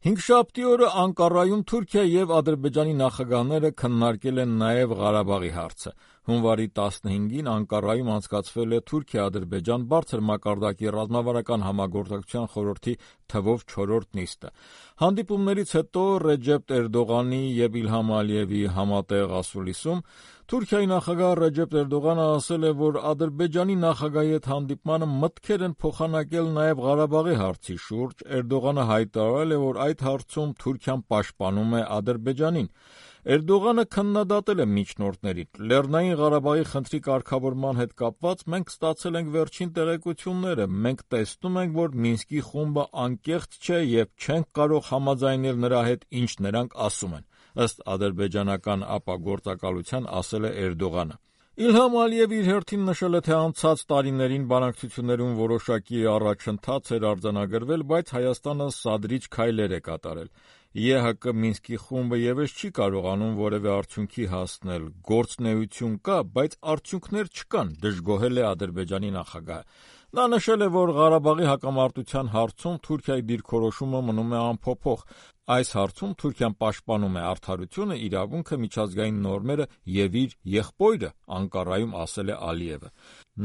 Հինգշաբթի օրը Անկարայում Թուրքիա և Ադրբեջանի նախագահները քննարկել են նաև Ղարաբաղի հարցը։ Հունվարի 15-ին Անկարայում անցկացվել է Թուրքիա-Ադրբեջան բարձր մակարդակի ռազմավարական համագործակցության խորհրդի թվով 4-րդ նիստը։ Հանդիպումներից հետո Ռեջեփ Էրդողանի և Իլհամ Ալիևի համատեղ ասուլիսում Թուրքիայի նախագահ Ռեջեփ Էրդողանը ասել է, որ Ադրբեջանի նախագահի հետ հանդիպմանը մտքեր են փոխանակել նաև Ղարաբաղի հարցի շուրջ։ Էրդողանը հայտարարել է, որ այդ հարցում Թուրքիան պաշտպանում է Ադրբեջանին։ Էրդողանը քննադատել է միջնորդներին։ Լեռնային Ղարաբաղի խնդրի կարգավորման հետ կապված մենք ստացել ենք վերջին տեղեկությունները։ Մենք տեսնում ենք, որ Մինսկի խումբը անկեղծ չէ և չենք կարող համաձայնել նրա հետ, ինչ նրանք ասում են, ըստ ադրբեջանական ապագործակալության ասել է Էրդողանը։ Իլհամ Ալիևը իր հերթին նշել է, թե անցած տարիներին բանակցություններում որոշակի առաջընթաց էր արձանագրվել, բայց Հայաստանը սադրիչ քայլեր է կատարել։ ԵՀԿ Մինսկի խումբը ևս չի կարողանում որևէ արդյունքի հասնել։ Գործունեություն կա, բայց արդյունքներ չկան, դժգոհել է Ադրբեջանի նախագահը։ Նա նշել է, որ Ղարաբաղի հակամարտության հարցում Թուրքիայի դիրքորոշումը մնում է անփոփոխ։ Այս հարցում Թուրքիան պաշտպանում է արդարությունը, իրավունքը, միջազգային նորմերը և իր եղբորը, Անկարայում ասել է Ալիևը։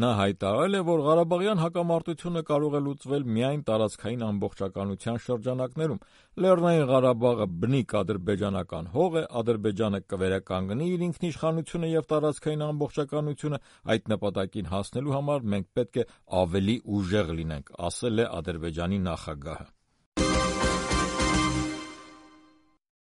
Նա հայտարարել է, որ Ղարաբաղյան հակամարտությունը կարող է լուծվել միայն տարածքային ամբողջականության շրջանակներում։ Լեռնային Ղարաբաղը բնիկ ադրբեջանական հող է, Ադրբեջանը կվերականգնի իր ինքնիշխանությունը և տարածքային ամբողջականությունը, այդ նպատակին հասնելու համար մենք պետք է ավելի ուժեղ լինենք, ասել է Ադրբեջանի նախագահը։